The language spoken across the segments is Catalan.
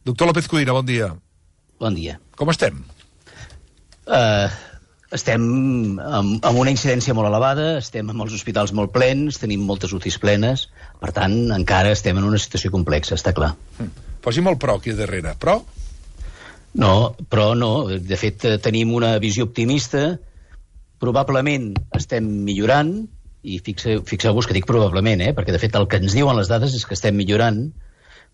Doctor López Codina, bon dia. Bon dia. Com estem? Estem amb una incidència molt elevada, estem amb els hospitals molt plens, tenim moltes UCIs plenes, per tant, encara estem en una situació complexa, està clar. Posi'm el però aquí darrere. Però? No, però no. De fet, tenim una visió optimista. Probablement estem millorant, i fixeu-vos que dic probablement, perquè de fet el que ens diuen les dades és que estem millorant,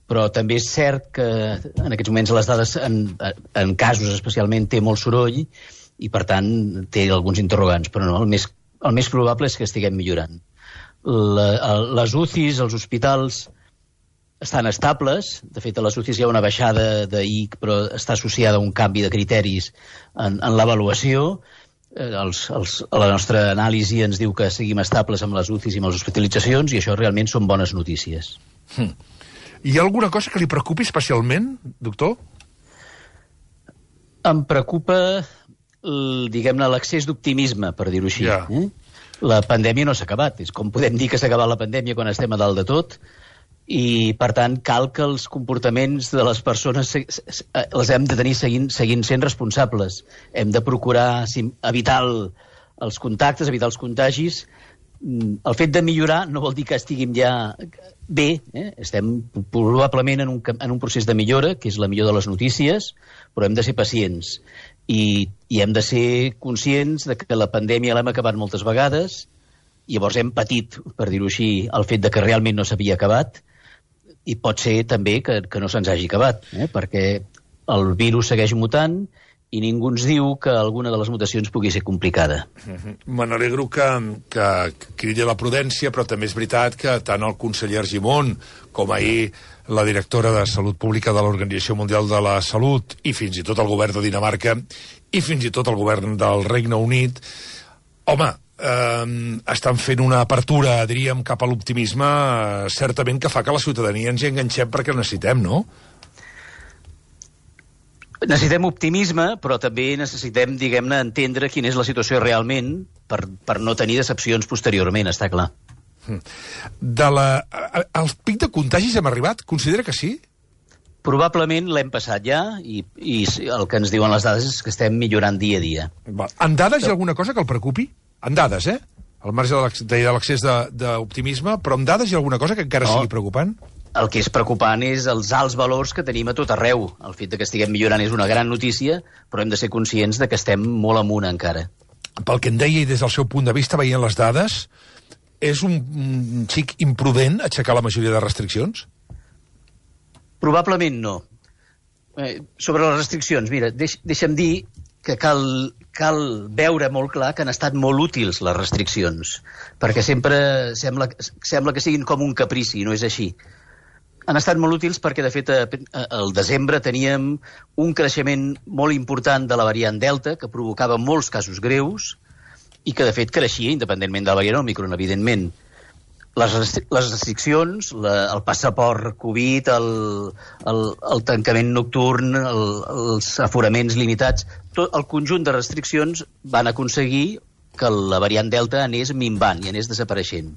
però també és cert que en aquests moments les dades, en casos especialment, té molt soroll i, per tant, té alguns interrogants. Però no, el més probable és que estiguem millorant. Les UCIs, els hospitals, estan estables. De fet, a les UCIs hi ha una baixada d'IC, però està associada a un canvi de criteris en l'avaluació. A la nostra anàlisi ens diu que seguim estables amb les UCIs i amb les hospitalitzacions, i això realment són bones notícies. Hi ha alguna cosa que li preocupi especialment, doctor? Em preocupa, diguem-ne, l'excés d'optimisme, per dir-ho així. Ja. La pandèmia no s'ha acabat. És com podem dir que s'ha acabat la pandèmia quan estem a dalt de tot, i, per tant, cal que els comportaments de les persones els hem de tenir seguint sent responsables. Hem de procurar evitar els contactes, evitar els contagis. El fet de millorar no vol dir que estiguem ja bé. Estem probablement en un procés de millora, que és la millor de les notícies, però hem de ser pacients. I hem de ser conscients de que la pandèmia l'hem acabat moltes vegades, i llavors hem patit, per dir-ho així, el fet de que realment no s'havia acabat, i pot ser també que no se'ns hagi acabat, perquè el virus segueix mutant i ningú ens diu que alguna de les mutacions pugui ser complicada. Me n'alegro que cridi a la prudència, però també és veritat que tant el conseller Argimon com ahir la directora de Salut Pública de l'Organització Mundial de la Salut, i fins i tot el govern de Dinamarca, i fins i tot el govern del Regne Unit, home, estan fent una apertura, diríem, cap a l'optimisme, certament que fa que la ciutadania ens hi enganxem perquè necessitem, no? Necessitem optimisme, però també necessitem, diguem-ne, entendre quina és la situació realment per no tenir decepcions posteriorment, està clar. Al pic de contagis hem arribat? Considera que sí? Probablement l'hem passat ja, i el que ens diuen les dades és que estem millorant dia a dia. En dades hi ha alguna cosa que el preocupi? En dades, al marge de l'excés d'optimisme, però en dades hi ha alguna cosa que encara sigui preocupant? El que és preocupant és els alts valors que tenim a tot arreu. El fet de que estiguem millorant és una gran notícia, però hem de ser conscients de que estem molt amunt encara. Pel que em deia, i des del seu punt de vista, veient les dades, és un xic imprudent aixecar la majoria de restriccions? Probablement no. Sobre les restriccions, mira, deixa'm dir que cal veure molt clar que han estat molt útils les restriccions, perquè sempre sembla que siguin com un caprici, no és així. Han estat molt útils perquè, de fet, al desembre teníem un creixement molt important de la variant Delta, que provocava molts casos greus, i que, de fet, creixia independentment de la variant Òmicron, evidentment. Les restriccions, el passaport Covid, el tancament nocturn, els aforaments limitats, tot el conjunt de restriccions van aconseguir que la variant Delta anés minvant i anés desapareixent.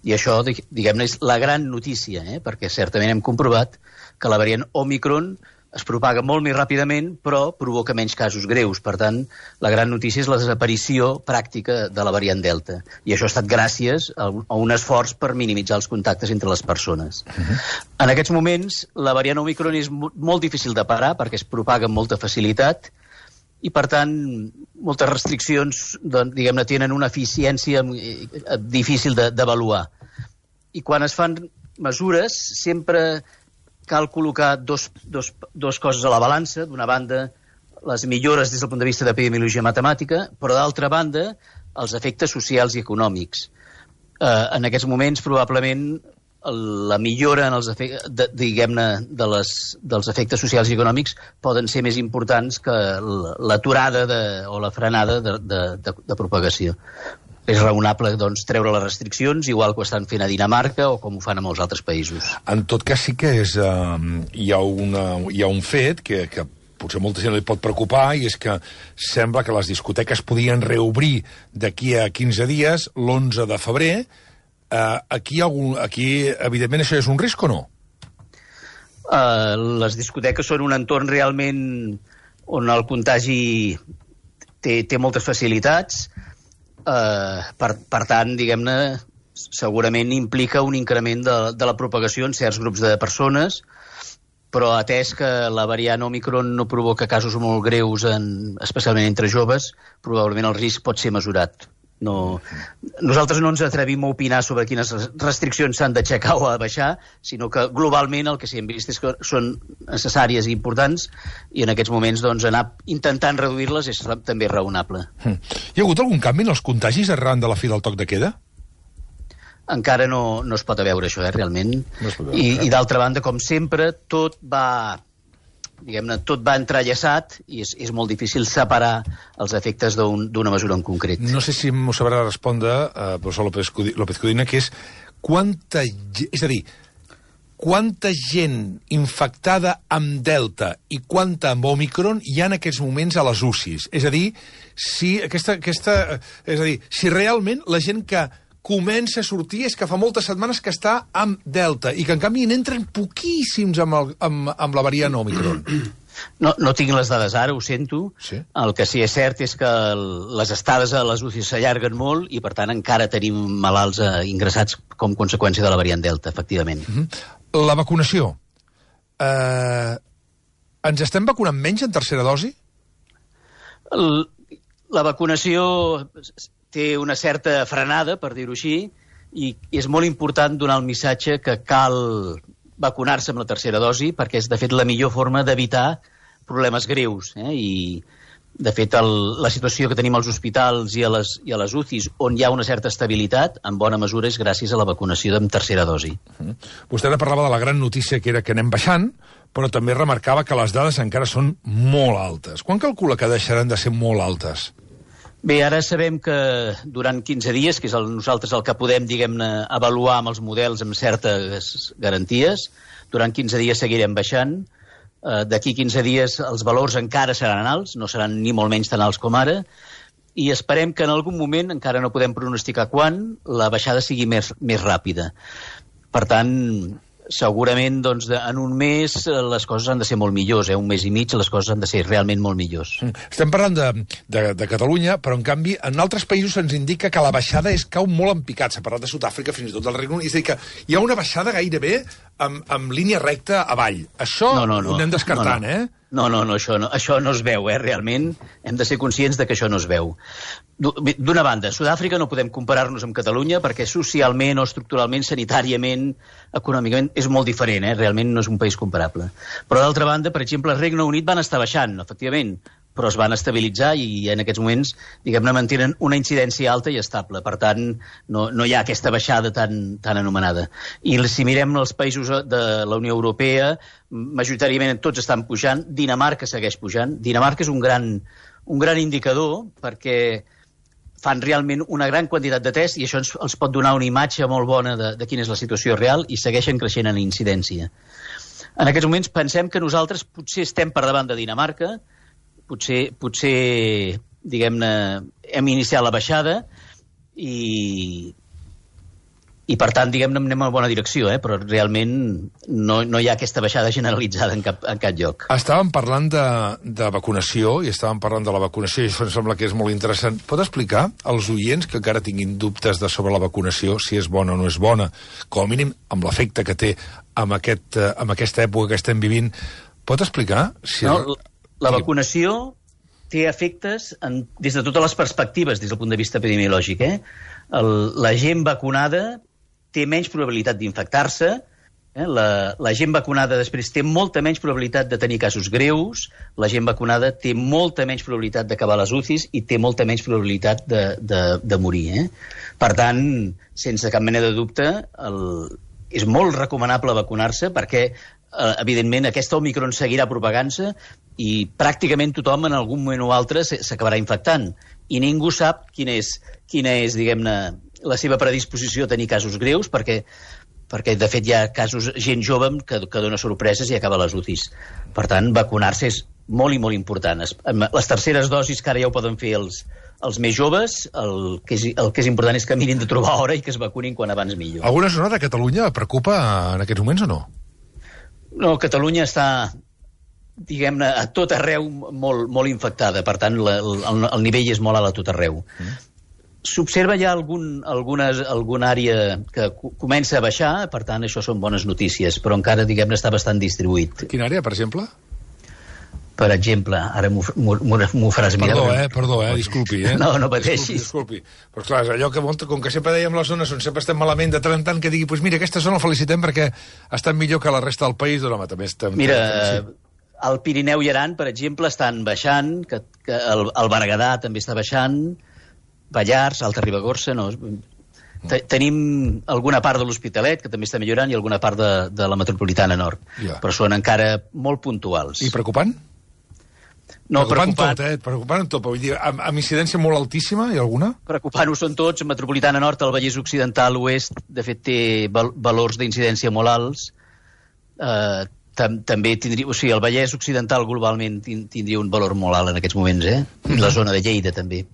I això, diguem-ne, és la gran notícia, perquè certament hem comprovat que la variant Òmicron es propaga molt més ràpidament, però provoca menys casos greus. Per tant, la gran notícia és la desaparició pràctica de la variant Delta. I això ha estat gràcies a un esforç per minimitzar els contactes entre les persones. En aquests moments, la variant Òmicron és molt difícil de parar perquè es propaga amb molta facilitat i, per tant, moltes restriccions, diguem-ne, tenen una eficiència difícil d'avaluar. I quan es fan mesures, sempre cal col·locar dos coses a la balança. D'una banda, les millores des del punt de vista d'epidemiologia matemàtica, però d'altra banda, els efectes socials i econòmics. En aquests moments, probablement, la millora en els diguem-ne dels efectes socials i econòmics poden ser més importants que l'aturada o la frenada de propagació. És raonable, doncs, treure les restriccions, igual que ho estan fent a Dinamarca o com ho fan a molts altres països. En tot cas, sí que hi ha un fet que potser molta gent li pot preocupar, i és que sembla que les discoteques podien reobrir d'aquí a 15 dies, l'11 de febrer. Aquí, evidentment, això és un risc o no? Les discoteques són un entorn realment on el contagi té moltes facilitats. Per tant, diguem-ne, segurament implica un increment de la propagació en certs grups de persones, però atès que la variant Omicron no provoca casos molt greus, especialment entre joves, probablement el risc pot ser mesurat. Nosaltres no ens atrevim a opinar sobre quines restriccions s'han d'aixecar o a baixar, sinó que globalment el que s'hi hem vist és que són necessàries i importants, i en aquests moments anar intentant reduir-les és també raonable. Hi ha hagut algun canvi en els contagis arran de la fi del toc de queda? Encara no es pot veure això, realment. No I d'altra banda, com sempre, tot va entrellaçat i és molt difícil separar els efectes d'una mesura en concret. No sé si m'ho sabrà respondre el professor López Codina, que és quanta gent infectada amb Delta i quanta amb Omicron hi ha en aquests moments a les UCIs. És a dir, si realment la gent que comença a sortir és que fa moltes setmanes que està amb Delta i que, en canvi, n'entren poquíssims amb la variant Omicron. No tinc les dades ara, ho sento. Sí. El que sí és cert és que les estades a les UCI s'allarguen molt i, per tant, encara tenim malalts ingressats com conseqüència de la variant Delta, efectivament. La vacunació. Ens estem vacunant menys en tercera dosi? La vacunació té una certa frenada, per dir-ho així, i és molt important donar el missatge que cal vacunar-se amb la tercera dosi, perquè és, de fet, la millor forma d'evitar problemes greus. I, de fet, la situació que tenim als hospitals i a les UCIs, on hi ha una certa estabilitat, en bona mesura és gràcies a la vacunació amb tercera dosi. Vostè parlava de la gran notícia que era que anem baixant, però també remarcava que les dades encara són molt altes. Quan calcula que deixaran de ser molt altes? Bé, ara sabem que durant 15 dies, que és nosaltres el que podem, diguem-ne, avaluar amb els models amb certes garanties, durant 15 dies seguirem baixant. D'aquí 15 dies els valors encara seran alts, no seran ni molt menys tan alts com ara, i esperem que en algun moment, encara no podem pronosticar quan, la baixada sigui més ràpida. Per tant, segurament en un mes les coses han de ser molt millors, un mes i mig les coses han de ser realment molt millors. Estem parlant de Catalunya, però en canvi en altres països se'ns indica que la baixada cau molt en picat. S'ha parlat de Sud-àfrica, fins i tot del Regne Unit. És a dir, que hi ha una baixada gairebé amb línia recta avall. Això ho anem descartant, No, això no es veu, realment. Hem de ser conscients de que això no es veu. D'una banda, Sud-àfrica no podem comparar-nos amb Catalunya perquè socialment o estructuralment, sanitàriament, econòmicament, és molt diferent, realment no és un país comparable. Però d'altra banda, per exemple, el Regne Unit van estar baixant, efectivament, però es van estabilitzar i en aquests moments, diguem-ne, mantenen una incidència alta i estable. Per tant, no hi ha aquesta baixada tan anomenada. I si mirem els països de la Unió Europea, majoritàriament tots estan pujant. Dinamarca segueix pujant. Dinamarca és un gran indicador perquè fan realment una gran quantitat de tests i això ens pot donar una imatge molt bona de quina és la situació real i segueixen creixent en incidència. En aquests moments pensem que nosaltres potser estem per davant de Dinamarca, potser diguem-ne, hem iniciat la baixada i per tant, diguem-ne, anem en bona direcció, però realment no hi ha aquesta baixada generalitzada en cap lloc. Estàvem parlant de vacunació i estàvem parlant de la vacunació i això em sembla que és molt interessant. Pot explicar als oients que encara tinguin dubtes sobre la vacunació, si és bona o no és bona, com a mínim amb l'efecte que té amb aquesta època que estem vivint, pot explicar? La vacunació té efectes des de totes les perspectives, des del punt de vista epidemiològic. La gent vacunada té menys probabilitat d'infectar-se, la gent vacunada després té molta menys probabilitat de tenir casos greus, la gent vacunada té molta menys probabilitat d'acabar les UCIs i té molta menys probabilitat de morir. Per tant, sense cap mena de dubte, és molt recomanable vacunar-se perquè evidentment aquesta Omicron seguirà propagant-se i pràcticament tothom en algun moment o altre s'acabarà infectant i ningú sap quina és diguem-ne, la seva predisposició a tenir casos greus perquè de fet hi ha casos, gent jove que dona sorpreses i acaba les UCIs. Per tant, vacunar-se és molt i molt important. Les terceres dosis que ara ja ho poden fer els més joves, el que és important és que mirin de trobar hora i que es vacunin quan abans millor. Alguna zona de Catalunya preocupa en aquests moments o no? No, Catalunya està, diguem-ne, a tot arreu molt infectada. Per tant, el nivell és molt alt a tot arreu. S'observa ja alguna àrea que comença a baixar, per tant, això són bones notícies, però encara, diguem-ne, està bastant distribuït. Quina àrea, per exemple? Per exemple, ara m'ho faràs mirar. Perdó, disculpi. No pateixis. Disculpi. Però clar, allò que, com que sempre dèiem les zones on sempre estem malament, de tant en tant que digui, doncs mira, aquesta zona la felicitem perquè estan millor que la resta del país, doncs home, també estem... Mira, el Pirineu i Aran, per exemple, estan baixant, que el Berguedà també està baixant, Pallars, Alta Ribagorça, no... Tenim alguna part de l'Hospitalet, que també està millorant, i alguna part de la metropolitana nord. Però són encara molt puntuals. I preocupant? No, preocupant tot, vull dir, amb incidència molt altíssima, hi ha alguna? Preocupant-ho són tots, metropolitana nord, el Vallès Occidental, l'Oest, de fet té valors d'incidència molt alts, també tindria, o sigui, el Vallès Occidental globalment tindria un valor molt alt en aquests moments, I la zona de Lleida també.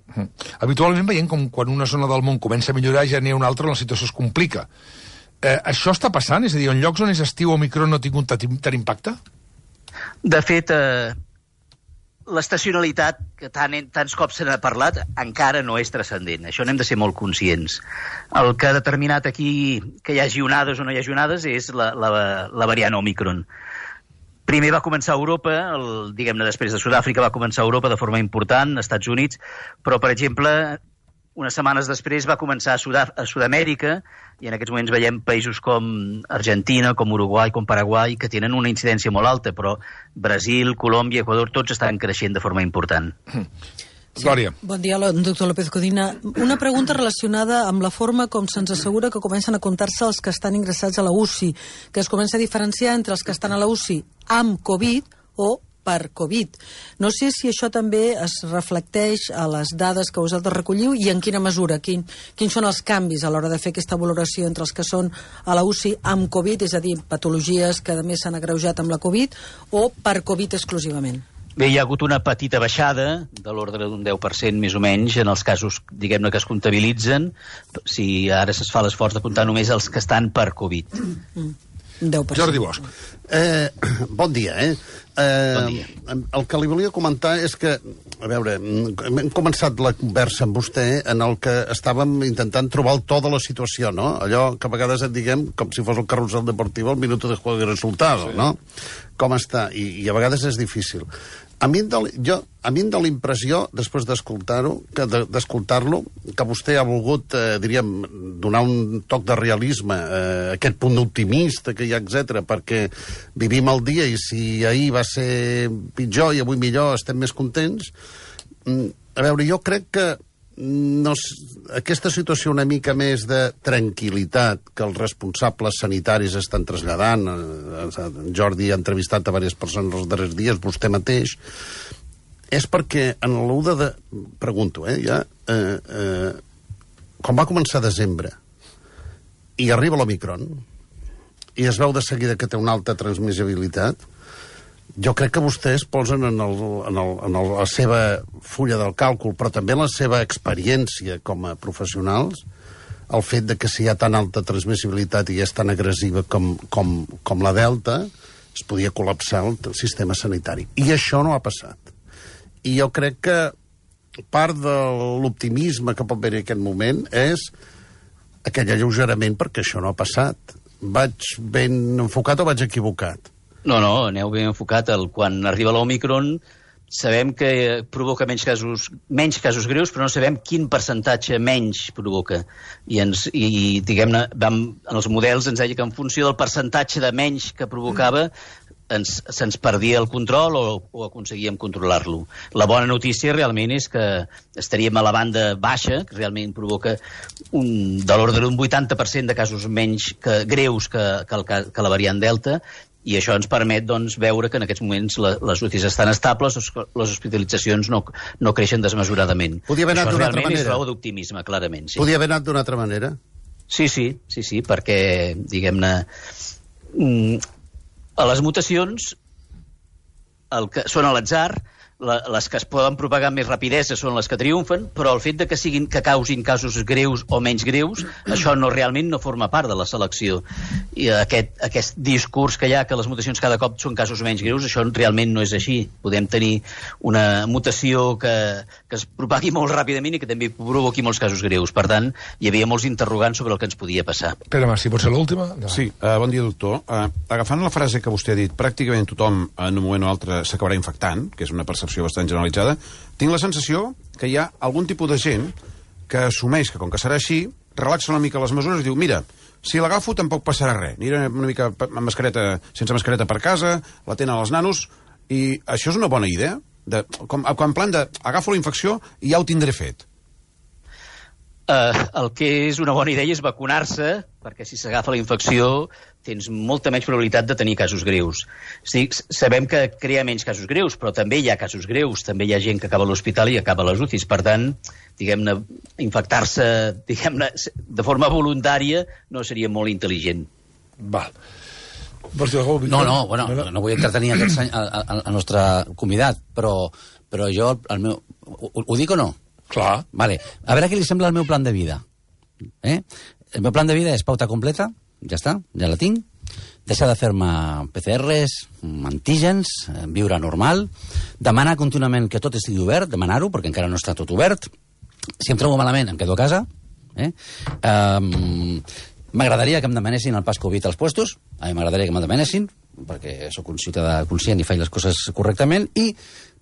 Habitualment veiem com quan una zona del món comença a millorar ja n'hi ha una altra on la situació es complica. Això està passant? És a dir, en llocs on és estiu Omicron no ha tingut tant impacte? De fet, l'estacionalitat, que tants cops se n'ha parlat, encara no és transcendent. Això n'hem de ser molt conscients. El que ha determinat aquí que hi hagi onades o no hi hagi onades és la variant Omicron. Primer va començar a Europa, diguem-ne després de Sud-àfrica va començar a Europa de forma important, als Estats Units, però, per exemple, unes setmanes després va començar a Sud-amèrica, i en aquests moments veiem països com Argentina, com Uruguai, com Paraguai, que tenen una incidència molt alta, però Brasil, Colòmbia, Equador, tots estan creixent de forma important. Glòria. Bon dia, doctor López Codina. Una pregunta relacionada amb la forma com se'ns assegura que comencen a comptar-se els que estan ingressats a la UCI, que es comença a diferenciar entre els que estan a la UCI amb Covid o per Covid. No sé si això també es reflecteix a les dades que vosaltres recolliu i en quina mesura, quins són els canvis a l'hora de fer aquesta valoració entre els que són a la UCI amb Covid, és a dir, patologies que a més s'han agreujat amb la Covid, o per Covid exclusivament? Bé, hi ha hagut una petita baixada, de l'ordre d'un 10% més o menys, en els casos, diguem-ne, que es comptabilitzen, si ara es fa l'esforç de comptar només els que estan per Covid. 10%. Jordi Bosch. Bon dia, Bon dia. El que li volia comentar és que, a veure, hem començat la conversa amb vostè en el que estàvem intentant trobar el to de la situació, no? Allò que a vegades et diguem com si fos el carrusel deportiu al minuto de juego y resultado, sí. No? Com està? I a vegades és difícil. A mi em dóna la impressió, després d'escoltar-lo, que vostè ha volgut, diríem, donar un toc de realisme, aquest punt optimista que hi ha, etc, perquè vivim el dia i si ahir va ser pitjor i avui millor estem més contents. A veure, jo crec que aquesta situació una mica més de tranquil·litat que els responsables sanitaris estan traslladant, Jordi ha entrevistat a diverses persones els darrers dies, vostè mateix, és perquè en l'1 de... Pregunto, quan va començar desembre i arriba l'Omicron i es veu de seguida que té una alta transmissibilitat, jo crec que vostès posen en la seva fulla del càlcul, però també en la seva experiència com a professionals, el fet de que si hi ha tan alta transmissibilitat i és tan agressiva com la Delta, es podia col·lapsar el sistema sanitari. I això no ha passat. I jo crec que part de l'optimisme que pot haver en aquest moment és aquell alleugerament perquè això no ha passat. Vaig ben enfocat o vaig equivocat? No, aneu ben enfocat. Quan arriba l'Omicron sabem que provoca menys casos greus, però no sabem quin percentatge menys provoca. I diguem-ne, en els models ens deia que en funció del percentatge de menys que provocava se'ns perdia el control o aconseguíem controlar-lo. La bona notícia realment és que estaríem a la banda baixa, que realment provoca de l'ordre d'un 80% de casos menys greus que la variant Delta, i això ens permet veure que en aquests moments les UCIs estan estables, les hospitalitzacions no creixen desmesuradament. Podia haver anat d'una altra manera. Això realment és raó d'optimisme, clarament. Sí. Podia haver anat d'una altra manera? Sí, perquè, diguem-ne, a les mutacions, que són a l'atzar, les que es poden propagar amb més rapidesa són les que triomfen, però el fet de que causin casos greus o menys greus, això realment no forma part de la selecció. I aquest discurs que hi ha, que les mutacions cada cop són casos menys greus, això realment no és així. Podem tenir una mutació que es propagui molt ràpidament i que també provoqui molts casos greus. Per tant, hi havia molts interrogants sobre el que ens podia passar. Pere Mas, si pot ser l'última? Sí, bon dia, doctor. Agafant la frase que vostè ha dit, pràcticament tothom en un moment o altre s'acabarà infectant, que és una percepció bastant generalitzada, tinc la sensació que hi ha algun tipus de gent que assumeix que, com que serà així, relaxa una mica les mesures i diu, mira, si l'agafo tampoc passarà res. Aniré una mica amb mascareta, sense mascareta per casa, la tenen els nanos, i això és una bona idea? En plan de, agafo la infecció i ja ho tindré fet. El que és una bona idea és vacunar-se, perquè si s'agafa la infecció tens molta menys probabilitat de tenir casos greus. Sabem que crea menys casos greus, però també hi ha casos greus, també hi ha gent que acaba a l'hospital i acaba a les UCIs. Per tant, diguem-ne, infectar-se, diguem-ne, de forma voluntària no seria molt intel·ligent. Val. No vull entretenir el nostre convidat, però jo, ho dic o no? Clar. Vale. A veure què li sembla el meu plan de vida. El meu plan de vida és pauta completa, ja està, ja la tinc, deixar de fer-me PCRs, antígens, viure normal, demanar contínuament que tot estigui obert, demanar-ho, perquè encara no està tot obert. Si em trobo malament, em quedo a casa. M'agradaria que em demanessin el pas Covid als puestos, a mi m'agradaria que me'l demanessin, perquè sóc un ciutadà conscient i faig les coses correctament, i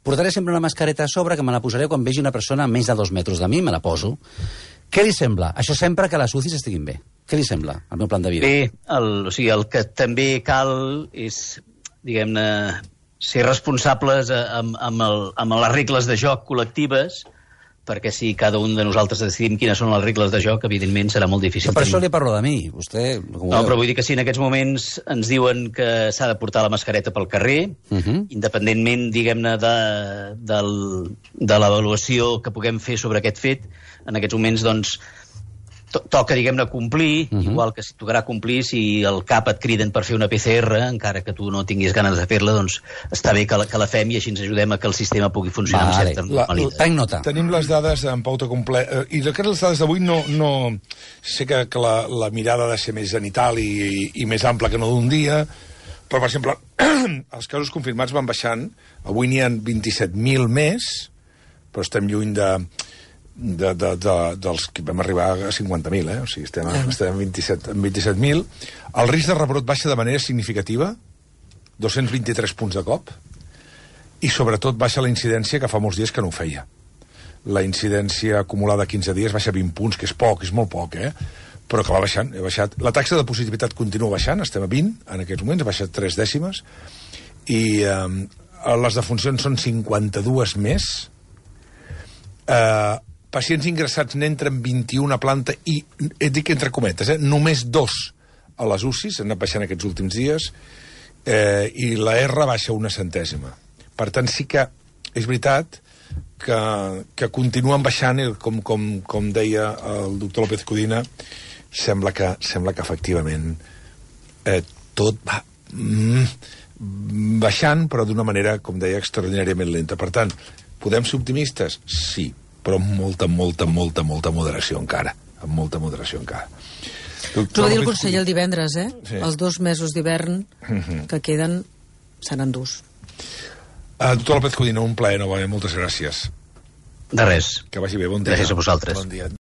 portaré sempre una mascareta a sobre, que me la posaré quan vegi una persona a menys de 2 metres de mi, me la poso. Què li sembla? Això sempre que les UCIs estiguin bé. Què li sembla, el meu plan de vida? Bé, el que també cal és, diguem-ne, ser responsables amb les regles de joc col·lectives, perquè si cada un de nosaltres decidim quines són les regles de joc, evidentment serà molt difícil. Però per això li parlo de mi. Vostè... No, però vull dir que si en aquests moments ens diuen que s'ha de portar la mascareta pel carrer, independentment, diguem-ne, de l'avaluació que puguem fer sobre aquest fet, en aquests moments, doncs, toca, diguem-ne, complir, igual que si tocarà complir si al CAP et criden per fer una PCR, encara que tu no tinguis ganes de fer-la, doncs està bé que la fem i així ens ajudem a que el sistema pugui funcionar amb certa normalitat. Prenc nota. Tenim les dades en pauta completa, i les dades d'avui no... Sé que la mirada ha de ser més genital i més ampla que no d'un dia, però, per exemple, els casos confirmats van baixant, avui n'hi ha 27.000 més, però estem lluny dels que vam arribar a 50.000, o sigui, estem en 27.000. El risc de rebrot baixa de manera significativa, 223 punts de cop, i sobretot baixa la incidència, que fa molts dies que no ho feia. La incidència acumulada a 15 dies baixa 20 punts, que és poc, és molt poc, però que va baixant, baixat. La taxa de positivitat continua baixant, estem a 20 en aquests moments, ha baixat 3 dècimes, i les defuncions són 52 més. Pacients ingressats n'entren 21 a planta i, dic entre cometes, només 2 a les UCIs, han anat baixant aquests últims dies, i la R baixa 1 centèsima. Per tant, sí que és veritat que continuen baixant, i com deia el doctor López Codina, sembla que efectivament tot va baixant, però d'una manera, com deia, extraordinàriament lenta. Per tant, podem ser optimistes? Sí, però amb molta moderació encara. Amb molta moderació encara. Ho va dir el conseller el divendres, Sí. Els 2 mesos d'hivern que queden seran durs. Doctor López Codina, un plaer, novament. Moltes gràcies. De res. Que vagi bé, bon dia. Gràcies a vosaltres. Bon dia.